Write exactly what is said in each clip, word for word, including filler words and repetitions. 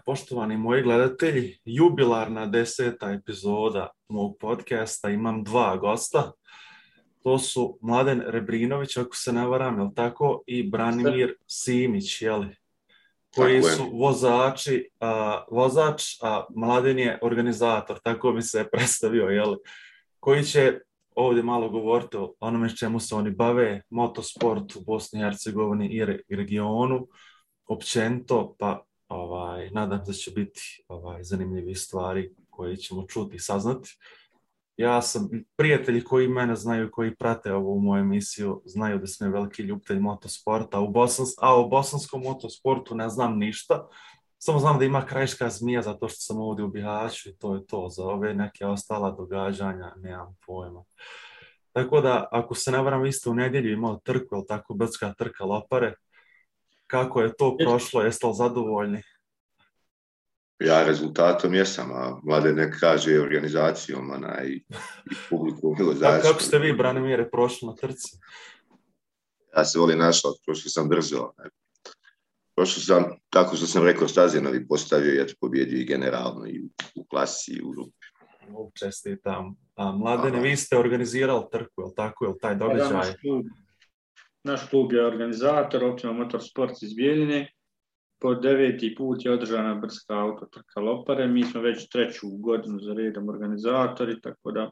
Poštovani moji gledatelji, jubilarna deseta epizoda mog podcasta. Imam dva gosta. To su Mladen Rebrinović, ako se ne varam, je li tako? I Branimir Simić, je li? Koji su vozači, a, vozač, a Mladen je organizator, tako bi se predstavio, je li? Koji će ovdje malo govoriti o onome s čemu se oni bave, motosport u Bosni i Hercegovini i, re, i regionu, općenito, pa ovaj, nadam se da će biti ovaj, zanimljivi stvari koje ćemo čuti i saznati. Ja sam, prijatelji koji mene znaju, koji prate ovu moju emisiju, znaju da sam veliki ljubitelj motosporta, a u, Bosans, a u bosanskom motosportu ne znam ništa. Samo znam da ima Krajiška zmija zato što sam ovdje u Bihaću i to je to. Za ove neke ostala događanja nemam pojma. Tako da, ako se ne varam, vi ste u nedjelju imali trku, ili tako, brdska trka Lopare. Kako je to prošlo? Jeste li zadovoljni? Ja rezultatom jesam, a Mladen ne kaže organizacijom ona, i, i publiku. Kako, kako ste vi, Branimire, prošli na trci? Ja se volim našao, prošao sam brzo. Prošao sam, tako što sam rekao, Stazjanovi postavio, ja ću pobjedio i generalno, i u klasi, i u grupi. Čestitam. A Mladene, vi ste organizirali trku, je li tako, je li taj događaj? Da, naš, klub, naš klub je organizator, Optima Motorsport iz Bijeljine. Po deveti put je održana brdska autotrka Lopare. Mi smo već treću godinu za redom organizatori, tako da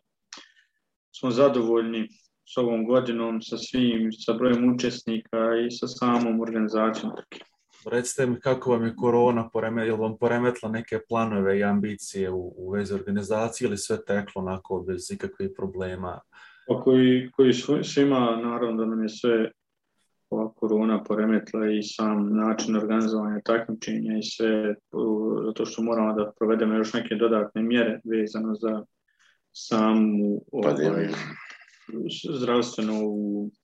smo zadovoljni s ovom godinom, sa svim, sa brojem učesnika i sa samom organizacijom trke. Recite mi kako vam je korona poremetila, je li vam poremetila neke planove i ambicije u, u vezi organizacije ili sve teklo onako bez ikakvih problema? Pa koji, koji svima, naravno da nam je sve ova korona poremetila i sam način organizovanja takmičenja i sve, zato što moramo da provedemo još neke dodatne mjere vezano za samu ovaj, zdravstvenu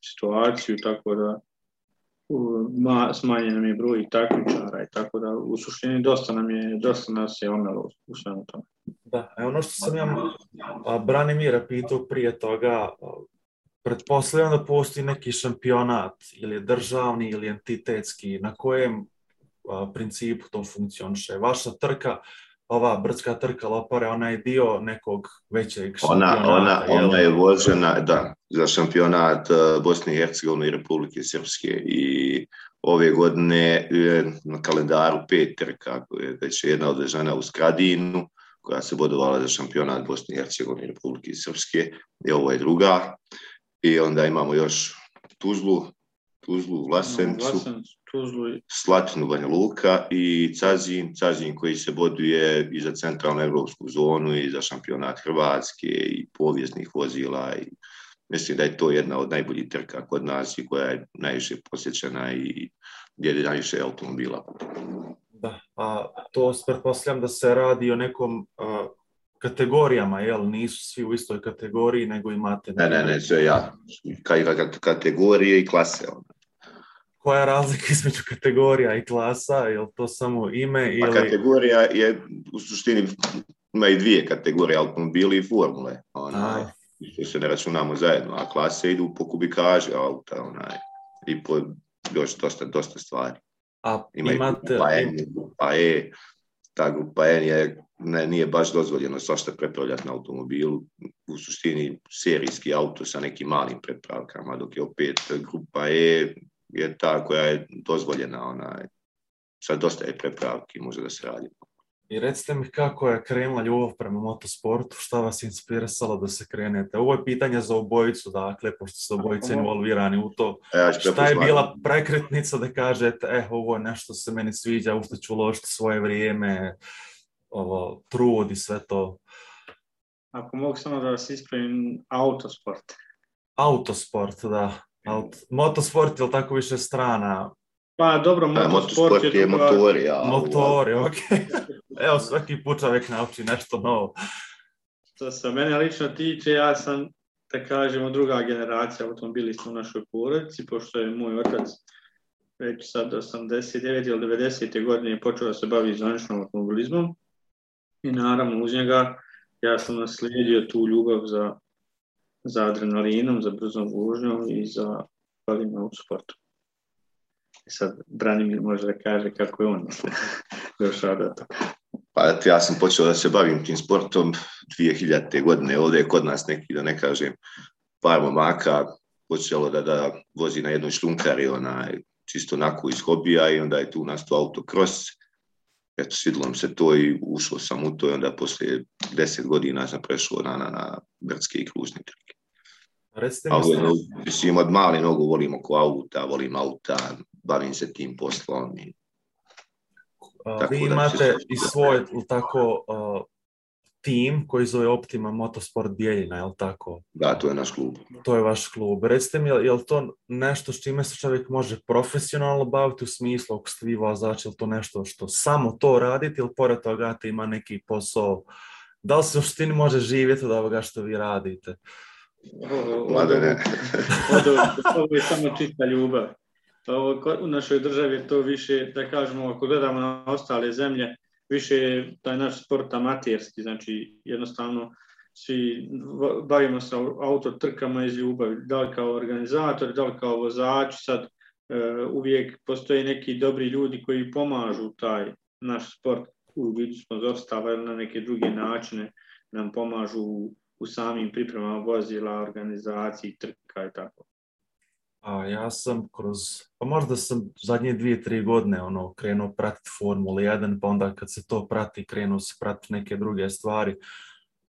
situaciju, tako da smanjen nam je broj takmičara i tako da u suštini dosta nam je, dosta nas je omelo u svemu tome. Da, ono što sam ja Branimira pitao prije toga, pretpostavljam da postoji neki šampionat ili je državni ili entitetski, na kojem a, principu to funkcioniše. Vaša trka, ova brdska trka Lopare, ona je dio nekog većeg šampionata. Ona, ona, ona je vođena, da, za šampionat Bosne i Hercegovine i Republike Srpske i ove godine je na kalendaru pet trka, već je jedna održana u Skradinu, koja se bodovala za šampionat Bosne i Hercegovine i Republike Srpske, i ovo je druga. I onda imamo još Tuzlu, Tuzlu, Vlasencu, Vlasencu Tuzlu i... Slatinu, Banja Luka i Cazin, Cazin koji se boduje i za centralnu evropsku zonu i za šampionat Hrvatske i povijesnih vozila. I mislim da je to jedna od najboljih trka kod nas i koja je najviše posjećena i gdje je najviše automobila. Da, a to pretpostavljam da se radi o nekom... A... kategorijama, jel? Nisu svi u istoj kategoriji, nego imate... Ne, ne, ne, sve ja. Kategorije i klase. Koja je razlika između kategorija i klasa? Je li to samo ime ili... Pa kategorija je, u suštini, ima i dvije kategorije, automobili i formule. Onaj, što se ne računamo zajedno, a klase idu po kubikaži auta, onaj, i po još dosta, dosta stvari. A ima imate... grupa N, grupa E, ta grupa N je, ne, nije baš dozvoljeno svašta prepravljati na automobilu, u suštini serijski auto sa nekim malim prepravkama, dok je opet grupa E je ta koja je dozvoljena, ona, sa dosta je prepravki, može da se radi. I recite mi kako je krenula ljubav prema motosportu, šta vas je inspirisalo da se krenete? Ovo je pitanje za obojicu, dakle, pošto ste obojice involvirani u to. Ja šta je bila prekretnica da kažete, eh, ovo je nešto se meni sviđa, u što ću uložiti svoje vrijeme, ovo, trud i sve to? Ako mogu samo da vas ispravim, autosport. Autosport, da. Auto. Motosport je li tako više strana? Pa dobro, motosport, motosport je, je motori. Ja, motori, okej. Okay. Evo, svaki put čovjek nauči nešto novo. Što se mene lično tiče, ja sam, da kažemo, druga generacija automobilista u našoj porodici, pošto je moj otac već sad osamdeset devete ili devedesete godine počeo da se bavi zvaničnom automobilizmom i naravno uz njega ja sam naslijedio tu ljubav za, za adrenalinom, za brzom vožnjom i za bavim autosportom. Sad Branimir može da kaže kako je on. došao do toga? Pa ja sam počeo da se bavim tim sportom dvije hiljadite. godine. Ovdje je kod nas neki, da ne kažem, par momaka počelo da, da vozi na jednoj šljunkari, onaj, čisto onako iz hobija i onda je tu nastao autokros. Eto, svidilo mi se to i ušao sam u to i onda poslije deset godina sam prešao na, na, na brdske i kružne trke. Recite A mi ono, mislim, od mali nogu volim oko auta, volim auta, bavim se tim poslom. I, a, vi imate i svoj tako uh, tim koji zove Optima Motorsport Bijeljina, je li tako? Da, to je naš klub. To je vaš klub. Recite mi, je li to nešto s čime se čovjek može profesionalno baviti u smislu, ako ste vi vozač, je li to nešto što samo to radite ili pored toga te ima neki posao? Da li se u suštini može živjeti od ovoga što vi radite? Mladene. Ovo je samo čista ljubav. Ovo, u našoj državi je to više, da kažemo, ako gledamo na ostale zemlje, više je taj naš sport amaterski, znači jednostavno svi bavimo se autotrkama iz ljubavi, da li kao organizator, da li kao vozač, sad e, uvijek postoje neki dobri ljudi koji pomažu taj naš sport u vidu sponzorstava ili na neke druge načine nam pomažu u, u samim pripremama vozila, organizaciji, trka i tako. A ja sam kroz, pa možda sam zadnje dvije, tri godine ono, krenuo pratiti Formulu jedan, pa onda kad se to prati, krenuo se pratiti neke druge stvari.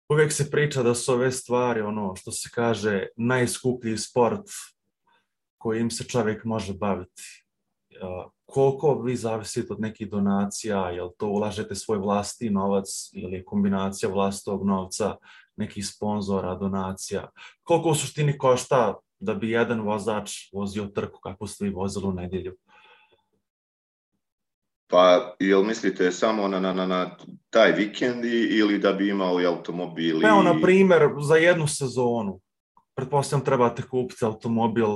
Uvijek se priča da su ove stvari, ono što se kaže, najskuplji sport kojim se čovjek može baviti. Uh, koliko vi zavisite od nekih donacija, jel to ulažete svoj vlastiti novac ili je kombinacija vlastitog novca, nekih sponzora, donacija? Koliko u suštini košta da bi jedan vozač vozio trku kako ste vi vozili u nedjelju? Pa, jel mislite samo na, na, na taj vikend ili da bi imao i automobil? Evo, na primjer, za jednu sezonu. Pretpostavljam trebate kupiti automobil,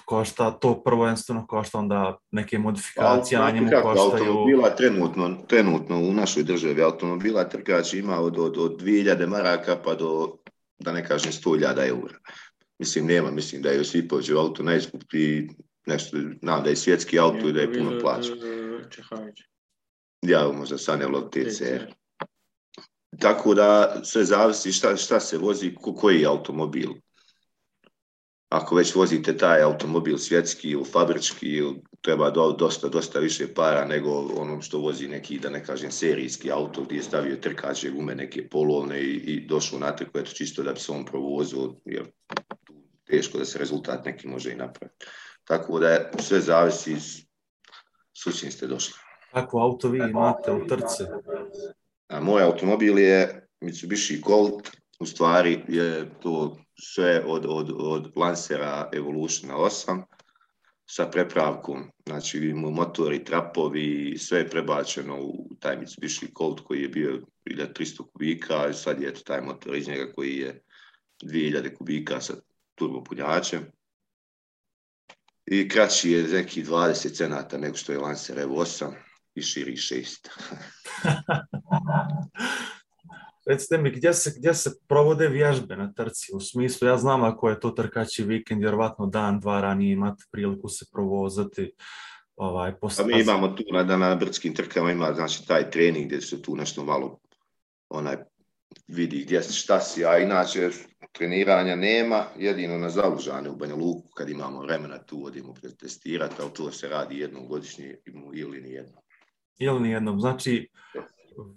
košta to prvenstveno, košta onda neke modifikacije, pa, a njemu kako, koštaju... Automobila trenutno, trenutno u našoj državi, automobila trkač ima od, od, od dvije hiljade maraka pa do, da ne kažem, sto hiljada eura. Mislim, nema, mislim da je Josipovićev auto najskuplji, nešto, znam da je svjetski auto i da je puno plaća. Ja, možda Sanelov T C R. Tako da sve zavisi šta, šta se vozi, ko, koji je automobil. Ako već vozite taj automobil svjetski ili fabrički, treba do, dosta, dosta više para nego ono što vozi neki, da ne kažem, serijski auto gdje je stavio trkače gume, neke polovne i, i došao na trku, eto čisto da bi se on provozio, jer teško da se rezultat neki može i napraviti. Tako da sve zavisi s čim ste došli. Kako auto vi imate u trci? A moj automobil je Mitsubishi Colt, u stvari je to sve od, od, od Lancera Evolutiona osam sa prepravkom, znači motori, trapovi, sve je prebačeno u taj Mitsubishi Colt koji je bio hiljadu tristo kubika, i sad je taj motor iz njega koji je dvije hiljade kubika sa turbopunjačem. I kraći je neki dvadeset centimetara nego što je Lancer Evo osam i širi šest. Recite mi, gdje se, gdje se provode vježbe na trci? U smislu, ja znam ako je to trkaći vikend, vjerovatno dan, dva ranije imate priliku se provozati. Ovaj, post... A mi imamo tu na, na brdskim trkama, ima znači taj trening gdje se tu nešto malo onaj, vidi gdje si, šta si, a inače treniranja nema, jedino na Zalužane u Banja Luku kad imamo vremena tu odimo pretestirati, ali to se radi jednom godišnje ili nijednom. Ili nijednom, znači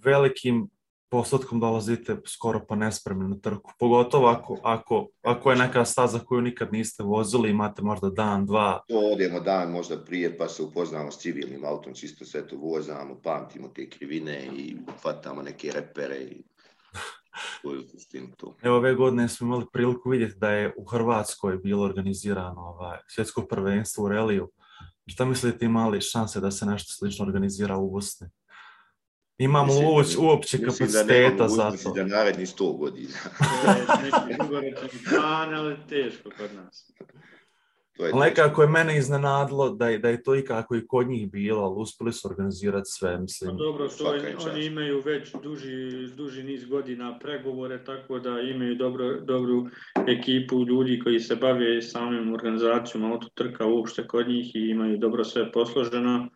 velikim postotkom dolazite skoro pa nespremni na trku, pogotovo ako, ako, ako je neka staza koju nikad niste vozili, imate možda dan, dva. To odemo dan možda prije pa se upoznamo s civilnim autom, čisto sve to vozamo, pamtimo te krivine i fatamo neke repere i Evo, ove godine smo imali priliku vidjeti da je u Hrvatskoj bilo organizirano ovaj, svjetsko prvenstvo u reliju. Šta mislite, imali šanse da se nešto slično organizira u Bosni? Imamo li uopće kapaciteta za to? Mislim da naredni sto godina. Neki dugoročni plan, ali teško kod nas. Nekako je mene iznenadilo da je, da je to i kako i kod njih bilo, ali uspjeli su organizirati sve, mislim. No, dobro, to oni imaju već duži, duži niz godina pregovore, tako da imaju dobro, dobru ekipu ljudi koji se bave samim organizacijom autotrka uopšte kod njih i imaju dobro sve posloženo,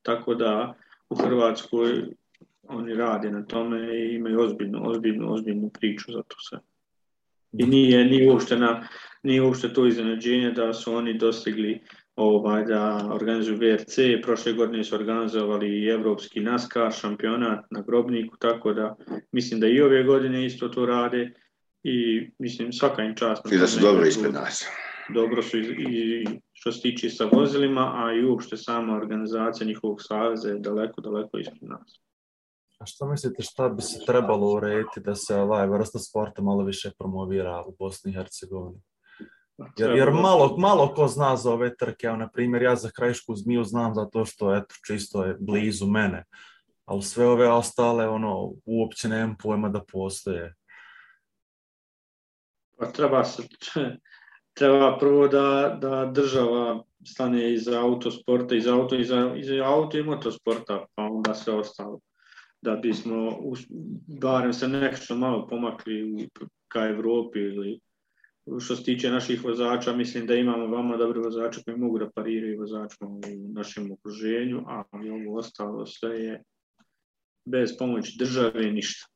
tako da u Hrvatskoj oni rade na tome i imaju ozbiljnu, ozbiljnu, ozbiljnu priču za to sve. I nije, nije, uopšte na, nije uopšte to iznenađenje da su oni dostigli ovaj, da organizuju V R C, prošle godine su organizovali i evropski NASCAR šampionat na Grobniku, tako da mislim da i ove godine isto to rade i mislim svaka im čast. I da su dobro ispred nas. Dobro su i, i što se tiče sa vozilima, a i uopšte sama organizacija njihovog saveza je daleko, daleko ispred nas. A što mislite šta bi se trebalo urediti da se ovaj vrsta sporta malo više promovira u Bosni i Hercegovini? Jer, jer malo, malo ko zna za ove trke, evo na primjer ja za Krajišku zmiju znam zato što eto, čisto je blizu mene, ali sve ove ostale ono, uopće nemam pojma da postoje. Pa treba se, treba prvo da, da država stane iza autosporta, iza auto, iza, iza auto i motosporta, pa onda sve ostalo. Da bismo barem se nešto malo pomakli ka Evropi ili što se tiče naših vozača, mislim da imamo vama dobri vozača koji mogu da pariraju vozačima u našem okruženju, ali ovo ostalo sve je bez pomoći države ništa.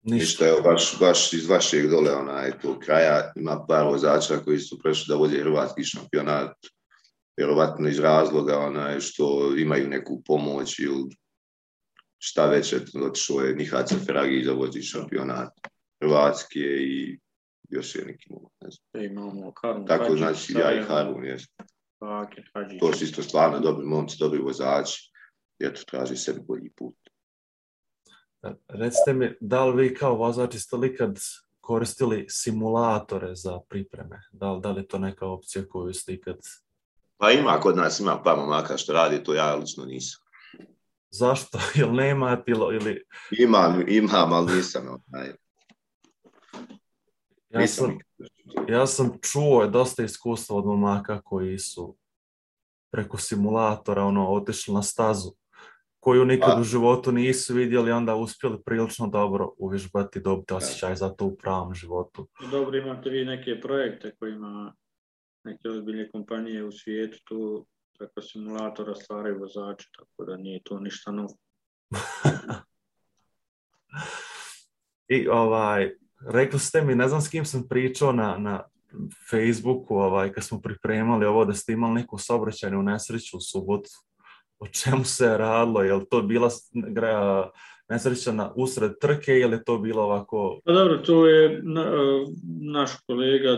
Ništa, evo, baš, baš iz vašeg dole onaj, tog kraja ima par vozača koji su prešli da vode hrvatski šampionat, vjerovatno iz razloga onaj, što imaju neku pomoć ili šta već, otišao je Nihat Seferagi da vodi šampionat Hrvatske i još je neki mogu, ne znam. E, imamo Harun Tako Hadžić, znači ja i Harun, jes. To su isto stvarno dobri momci, dobri vozači, jer to traži sebi bolji put. Recite mi, da li vi kao vozači ste li ikad koristili simulatore za pripreme? Da li, da li je to neka opcija koju ste ikad... Pa ima, kod nas ima par momaka što radi, to ja lično nisam. Zašto? Jel nema ili... Imam, imam, ali nisam. Onaj. Ja sam, ja sam čuo dosta iskustva od momaka koji su preko simulatora ono, otišli na stazu koju nikad A. u životu nisu vidjeli, onda uspjeli prilično dobro uvježbati, dobiti osjećaj za to u pravom životu. Dobro, imate vi neke projekte kojima neke ozbiljne kompanije u svijetu tu preko simulatora stvaraju vozače, tako da nije to ništa novo. I ovaj, rekli ste mi, ne znam s kim sam pričao na, na Facebooku, ovaj, kad smo pripremali ovo, da ste imali neku saobraćajnu nesreću u subotu. O čemu se je radilo? Je li to bila nesreća na usred trke ili je to bilo ovako... Pa dobro, to je na, naš kolega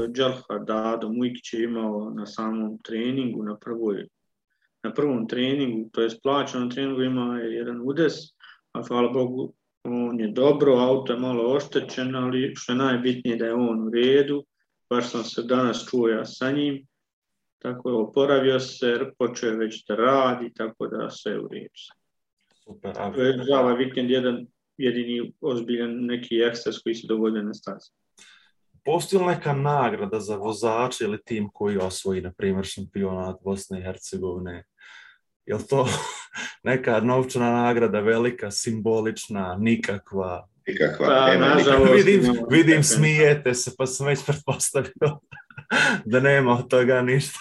Đalha Dado Mujkić je imao na samom treningu, na, prvoj, na prvom treningu, to je plaćenom treningu ima jedan udes, a hvala Bogu on je dobro, auto je malo oštećen, ali što je najbitnije da je on u redu, baš sam se danas čuo ja sa njim, tako je oporavio se, počeo je već da radi, tako da sve u redu. Super. To je za ovaj vikend jedan jedini ozbiljan neki ekstras koji se dovodio na stazi. Postoji li neka nagrada za vozače ili tim koji osvoji, na primjer, šampionat Bosne i Hercegovine? Je li to neka novčana nagrada, velika, simbolična, nikakva? Nikakva, pa, nema nikakva. Vidim, vidim smijete se, pa sam već pretpostavio da nema od toga ništa.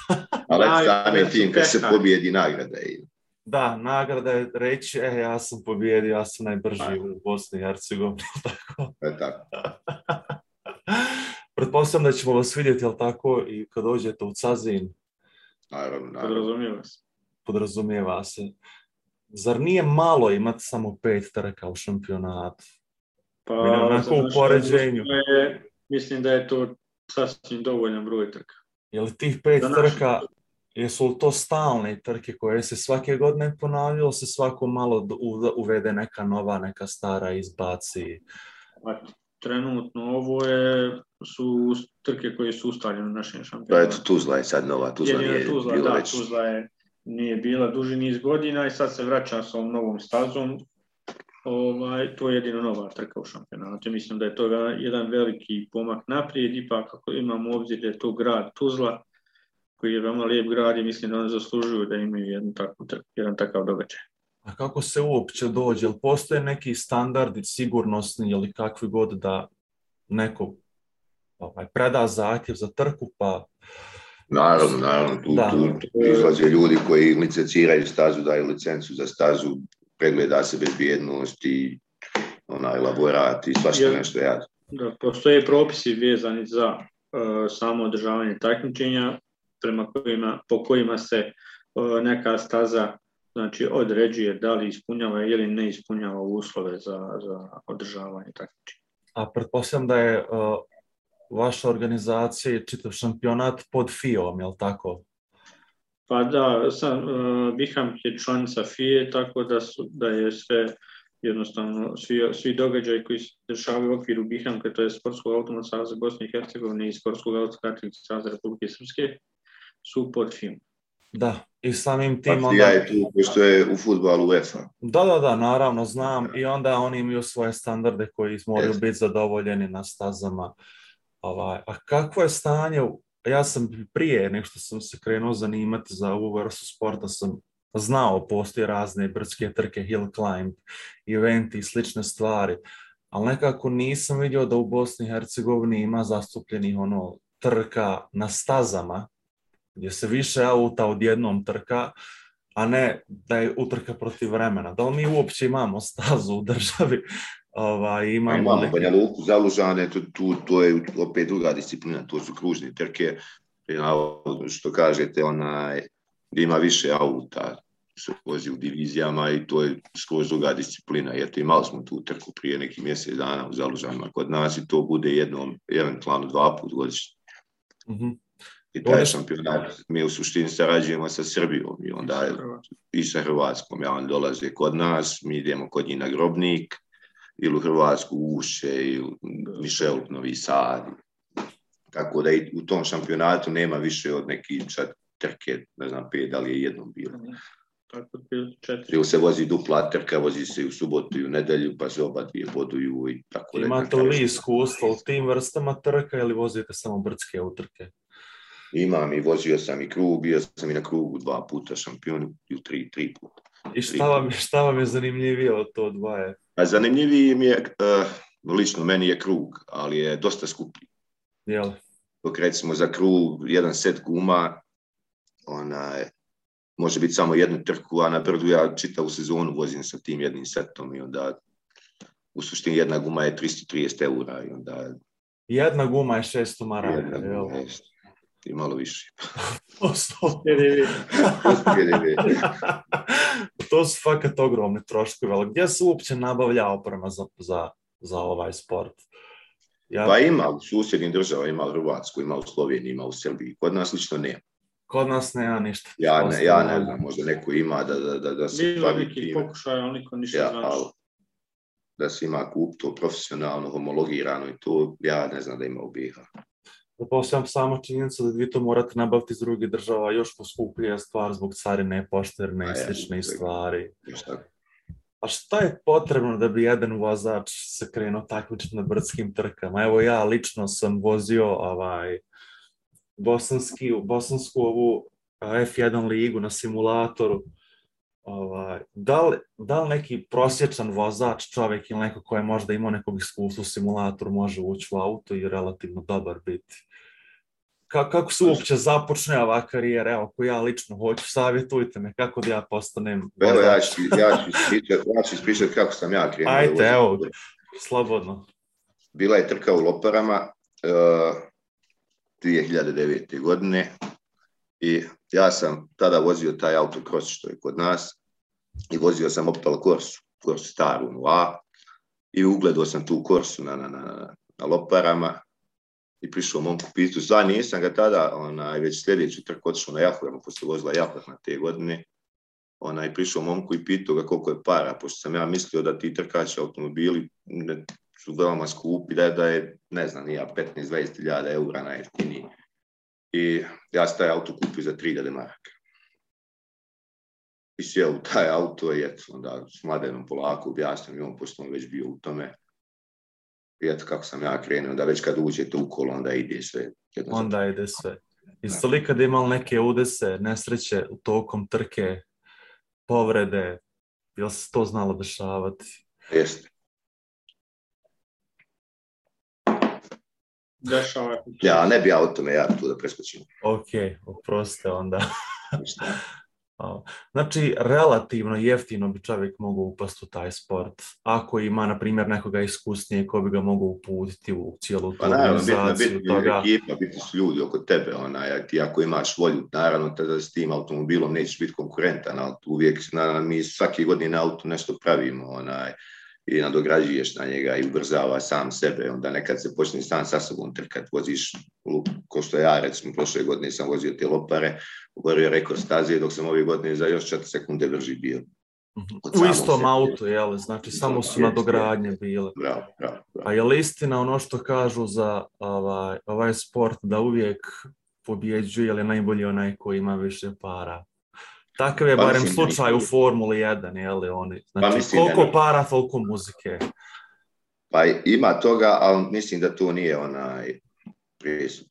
Ali sami tim kad se pobjedi nagrada je. Da, nagrada je reći, e, ja sam pobjedio, ja sam najbrži u Bosni i Hercegovini. Tako. Je tako. Pretpostavljam da ćemo vas vidjeti, jel tako, i kad dođete u Cazin. Naravno, naravno. Podrazumijeva se. Podrazumijeva se. Zar nije malo imati samo pet trka u šampionatu? Pa, onako u poređenju. Je, mislim da je to sasvim dovoljan broj trka. Je li tih pet trka, jesu li to stalne trke koje se svake godine ponavljaju, se svako malo uvede neka nova, neka stara izbaci? Pa, trenutno ovo je, su trke koje su ustaljene u našem šampionatu. Da, eto, Tuzla je sad nova, Tuzla nije Tuzla, bila da, već. Tuzla je, nije bila duži niz godina i sad se vraća sa ovom novom stazom. Ovaj, to je jedino nova trka u šampionatu. Mislim da je to jedan veliki pomak naprijed, ipak ako imamo obzir da je to grad Tuzla, koji je veoma lijep grad i mislim da oni zaslužuju da imaju jedan, tako, jedan takav događaj. A kako se uopće dođe? Jel postoje neki standardi sigurnosni ili kakvi god da neko ovaj, preda zahtjev za trku pa Naravno, naravno, tu, tu, tu izlaze ljudi koji licenciraju stazu, daju licencu za stazu, pregleda se bezbjednost i onaj elaborat i svašta nešto ja. Da, postoje propisi vezani za uh, samo održavanje takmičenja prema kojima, po kojima se uh, neka staza znači određuje da li ispunjava ili ne ispunjava uslove za, za održavanje takmičenja. A pretpostavljam da je uh, vaša organizacija i čitav šampionat pod F I O-om, je li tako? Pa da, sam, uh, Biham je članica F I E, tako da, su, da je sve jednostavno, svi, svi događaji koji se dešavaju u okviru Bihamka, to je Sportskog automatskog saveza Bosne i Hercegovine i Sportskog automatskog saveza Republike Srpske, su pod F I O-om. Da, i samim tim onda... Ja je tu, pošto je u fudbalu UEFA. Da, da, da, naravno, znam. I onda oni imaju svoje standarde koji moraju biti zadovoljeni na stazama. Ovaj, a kakvo je stanje? Ja sam prije, nego što sam se krenuo zanimati za ovu vrstu sporta, sam znao, postoje razne brdske trke, hill climb, eventi i slične stvari, ali nekako nisam vidio da u Bosni i Hercegovini ima zastupljenih ono, trka na stazama, gdje se više auta odjednom trka, a ne da je utrka protiv vremena. Da li mi uopće imamo stazu u državi? Ovaj, imamo imamo neki... Banja Luku, Zalužane, to, tu, to je opet druga disciplina, to su kružne trke, što kažete, onaj, gdje ima više auta, se vozi u divizijama i to je skroz druga disciplina. Jer imali smo tu trku prije nekih mjesec dana u Zalužanima kod nas i to bude jednom, eventualno dva put godišnje. Mm-hmm. I taj šampionat, mi u suštini sarađujemo sa Srbijom i onda i sa Hrvatskom. Ja, on dolaze kod nas, mi idemo kod njih na Grobnik ili u Hrvatsku Ušće ili Mišel, Novi Sad. Tako da i u tom šampionatu nema više od nekih sad trke, ne znam, pet, da li je jednom bilo. Tako četiri. Ili se vozi dupla trka, vozi se u subotu i u nedelju, pa se oba dvije boduju i tako da. Imate li iskustvo u tim vrstama trka ili vozite samo brdske utrke? Imam i vozio sam i krug, bio sam i na krugu dva puta šampion i tri, tri puta. I šta vam, šta vam je zanimljivije od to dvoje? A zanimljiviji mi je, uh, lično meni je krug, ali je dosta skuplji. Jel? Dok recimo za krug jedan set guma, onaj, može biti samo jednu trku, a na brdu ja čitavu sezonu vozim sa tim jednim setom i onda u suštini jedna guma je tristo trideset eura i onda... Jedna guma je šesto maraka, jel? I malo više. To su fakat ogromni troškovi, ali gdje se uopće nabavlja oprema za, za, za ovaj sport? Ja... Pa ima u susjednim država, ima u Hrvatskoj, ima u Sloveniji, ima u Srbiji. Kod nas lično nema. Kod nas nema ništa. Ja ne, ja ne znam, možda neko ima da, da, da, da se bilo neki pokušaj, ali niko ništa ja, znači. Da se ima kup to profesionalno, homologirano i to, ja ne znam da ima u B i H. Zapostavljam samo činjenicu da vi to morate nabaviti iz drugih država, još poskuplija stvar zbog carine, pošterne i slične ja, stvari. Šta? A šta je potrebno da bi jedan vozač se krenuo takmičiti na brdskim trkama? Evo ja lično sam vozio ovaj, bosanski, bosansku ovu F jedan ligu na simulatoru. Ovaj, da, li, da li neki prosječan vozač, čovjek ili neko ko je možda imao nekog iskustva u simulatoru može ući u auto i relativno dobar biti? Ka, kako se uopće započne ova karijera? Evo, ako ja lično hoću, savjetujte me kako da ja postanem vozač. Evo, ja ću, ja ću ispričati, ja ću ispričati kako sam ja krenuo. Ajde, evo, slobodno. Bila je trka u Loparama uh, dvije hiljade devete. godine i ja sam tada vozio taj autokros što je kod nas i vozio sam Opel Corsu, Corsu staru A i ugledao sam tu Corsu na, na, na, na Loparama i prišao momku pitu. Zva, nisam ga tada, onaj, već sljedeću trku otišao na Jahorama, pošto je vozila Jahor na te godine. Onaj, prišao momku i pitao ga koliko je para, pošto sam ja mislio da ti trkači automobili ne, su veoma skupi, da je, da je ne znam, nija petnaest do dvadeset hiljada eura najjeftiniji. I ja sam taj auto kupio za tri hiljade maraka. I sjeo u taj auto i eto, onda s Mladenom polako objasnio i on, pošto on već bio u tome. I eto kako sam ja krenuo, da već kad uđete u kolo, onda ide sve. Onda ide sve. Jeste li kad imali neke udese, nesreće u tokom trke, povrede, je li se to znalo dešavati? Jeste. dešava. Ja, ne bi ja o tome, ja tu da preskočim. Ok, oprostite onda. Znači, relativno jeftino bi čovjek mogao upasti u taj sport. Ako ima, na primjer, nekoga iskusnije ko bi ga mogao uputiti u cijelu tu pa, organizaciju. Naravno, bitno, bitno toga. Ekipa, bitni su ljudi oko tebe. Onaj, ti ako imaš volju, naravno, tada s tim automobilom nećeš biti konkurentan, ali uvijek na, mi svake godine na auto nešto pravimo onaj, i nadograđuješ na njega i ubrzava sam sebe. Onda nekad se počne sam sa sobom trkat, voziš, ko što ja, recimo, prošle godine sam vozio te lopare, uborio rekord staze, dok sam ove godine za još četiri sekunde brži bio. U istom autu, jel? Znači, samo su nadogradnje bile. Bravo, bravo, bravo. A je li istina ono što kažu za ovaj, ovaj sport da uvijek pobjeđuje, ili je najbolji onaj koji ima više para? Takav je pa barem mislim, slučaj u Formuli jedan, jel? Oni. Znači, pa mislim, koliko ne, para, toliko muzike. Pa ima toga, ali mislim da to nije onaj presud.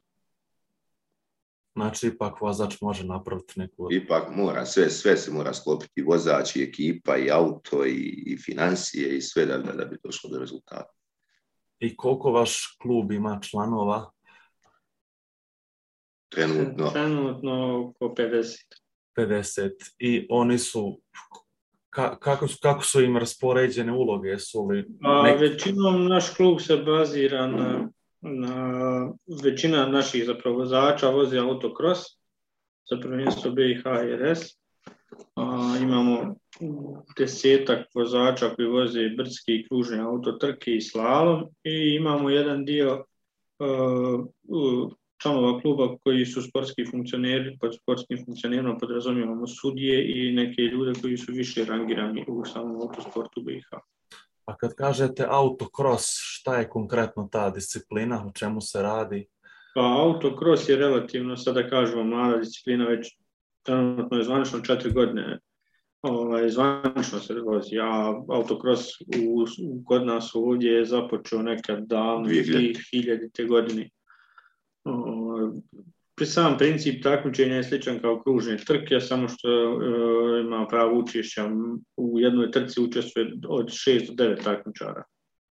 Znači, ipak vozač može napraviti neku... Ipak mora, sve, sve se mora sklopiti, vozač i ekipa i auto i, i financije i sve da, da, da bi došlo do rezultata. I koliko vaš klub ima članova? Trenutno? Trenutno oko pedeset. pedeset. I oni su... Ka, kako, su, kako su im raspoređene uloge? Su li A, nek... Većinom naš klub se bazira na, na većina naših zapravo vozača vozi autokros za prvenstvo B i H i R S. A, imamo desetak vozača koji voze brdski i kružne autotrke i slalom i imamo jedan dio uh, članova kluba koji su sportski funkcioneri, pod sportskim funkcionerima podrazumijevamo sudije i neke ljude koji su više rangirani u samom autosportu B i H. A kad kažete autokros, šta je konkretno ta disciplina, o čemu se radi? Pa autokros je relativno, sada kažemo, mlada disciplina, već trenutno je zvanično četiri godine ovaj, zvanično se vozi, a autokros u, u, kod nas ovdje je započeo nekad davno, dvije hiljadite godine. Pri sam princip takmičenja je sličan kao kružne trke, samo što e, ima pravo učešća. U jednoj trci učestvuje od šest do devet takmičara.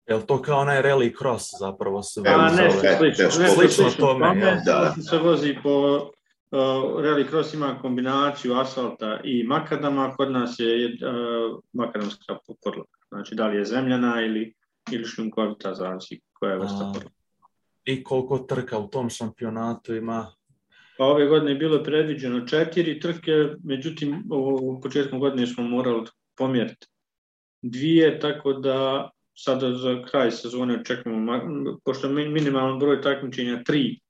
Je li to kao onaj rally cross zapravo se vozi? A nešto slično. Nešto Slično tome, tome, da. Se vozi po... Uh, rally cross ima kombinaciju asfalta i makadama, kod nas je uh, makadamska podloga. Znači da li je zemljana ili, ili šljunkovita, zavisi koja je vrsta podloga. I koliko trka u tom šampionatu ima? Pa ove godine je bilo predviđeno četiri trke, međutim u početkom godine smo morali pomjeriti dvije, tako da sada za kraj sezone očekujemo, pošto je minimalan broj takmičenja tri,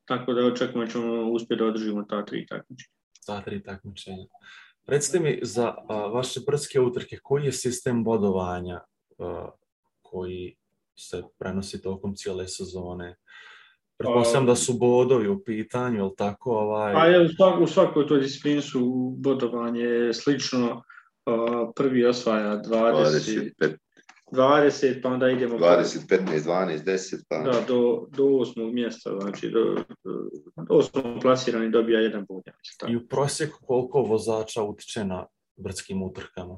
tako da očekujemo da ćemo uspjeti da održimo ta tri takmičenja. Ta tri takmičenja. Recite mi za a, vaše brdske utrke, koji je sistem bodovanja a, koji se prenosi tokom cijele sezone? Pretpostavljam da su bodovi u pitanju, ili tako? Ovaj... Pa je, u, svak, u svakoj toj disciplini su bodovanje slično. A, prvi osvaja dvadeset, dvadeset, pa onda idemo... dvadeset, petnaest, dvanaest, deset, pa... Da, do, do osmog mjesta, znači do, do osmog plasirani dobija jedan bod. I u prosjeku koliko vozača utiče na brdskim utrkama?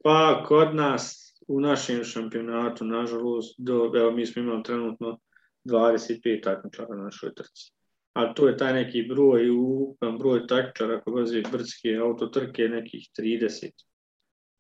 Pa kod nas, u našem šampionatu, nažalost, do, evo, mi smo imali trenutno dvadeset pet takmičara na našoj trci. A to je taj neki broj, ukupan broj takmičara koji vozi brdske autotrke, nekih trideset.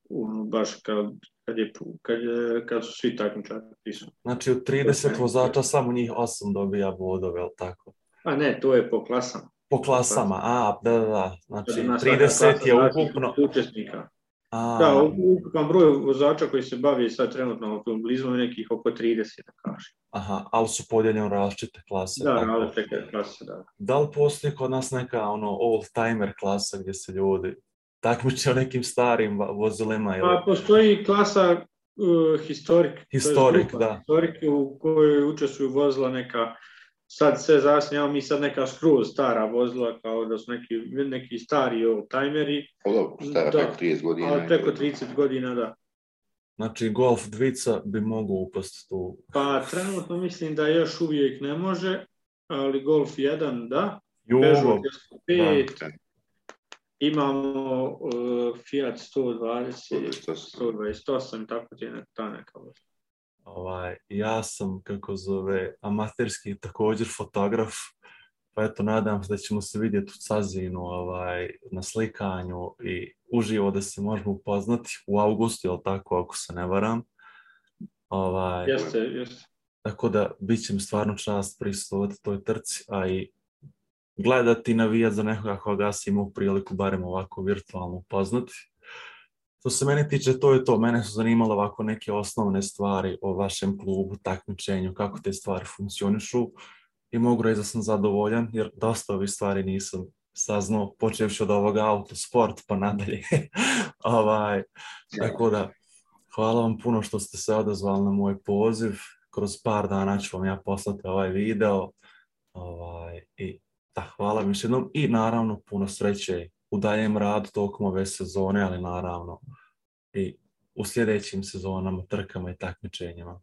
Ono, baš kad, kad, je, kad, kad su svi takmičari prisutni. Znači od trideset vozača samo njih osam dobija bodove, ali tako? A ne, to je po klasama. Po klasama, a, da, da, da. Znači trideset je ukupno... Učesnika. A... Da, ukupan broj vozača koji se bavi sad trenutno automobilizmom je nekih oko trideset, da kažem. Aha, ali su podijeljene različite klase. Da, različite klase, da. Da li postoji kod nas neka ono old-timer klasa gdje se ljudi takmiče o nekim starim vozilima? Ili... Pa postoji klasa uh, historik. Historik, da. Historik u kojoj učestvuju vozila neka, sad sve zasnijamo mi sad neka skroz stara vozila, kao da su neki, neki stari old-timeri. O, stara preko trideset godina. Ali preko trideset godina, da. Znači Golf dvica bi mogu upasti tu? Pa trenutno mislim da još uvijek ne može, ali Golf jedan da. Jugo. Peugeot pet. Imamo uh, Fiat sto dvadeset, sto dvadeset osam, tako ti je ta neka vozila. Ovaj, ja sam, kako zove, amaterski također fotograf, pa eto, nadam se da ćemo se vidjeti u Cazinu ovaj, na slikanju i uživo da se možemo upoznati u augustu, jel tako, ako se ne varam. Ovaj, Jeste, jeste. Tako da bit će mi stvarno čast prisustvovati toj trci, a i gledati i navijati za nekoga koga si imao priliku barem ovako virtualno upoznati. Što se mene tiče, to je to. Mene su zanimale ovako neke osnovne stvari o vašem klubu, takmičenju, kako te stvari funkcionišu i mogu reći da sam zadovoljan, jer dosta ovih stvari nisam saznao, počevši od ovoga autosport pa nadalje. ovaj, tako da, hvala vam puno što ste se odazvali na moj poziv. Kroz par dana ću vam ja poslati ovaj video. Ovaj, i da, hvala vam još jednom i naravno puno sreće u daljem radu tokom ove sezone, ali naravno i u sljedećim sezonama, trkama i takmičenjima.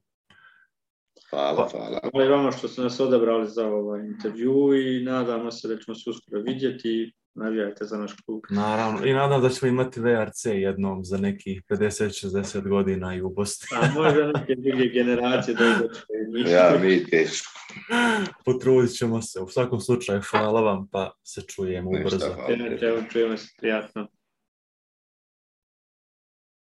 Hvala, hvala. Hvala i vama što ste nas odabrali za ovaj intervju i nadamo se da ćemo se uskoro vidjeti. Navijajte za naš klub. Naravno, i nadam da ćemo imati V R C jednom za nekih pedeset šezdeset godina i u Bosni. A možda neke druge generacije da je Ja, mi teško. Potrudit ćemo se. U svakom slučaju, hvala vam, pa se čujemo ubrzo. Hvala. Čujemo se prijatno.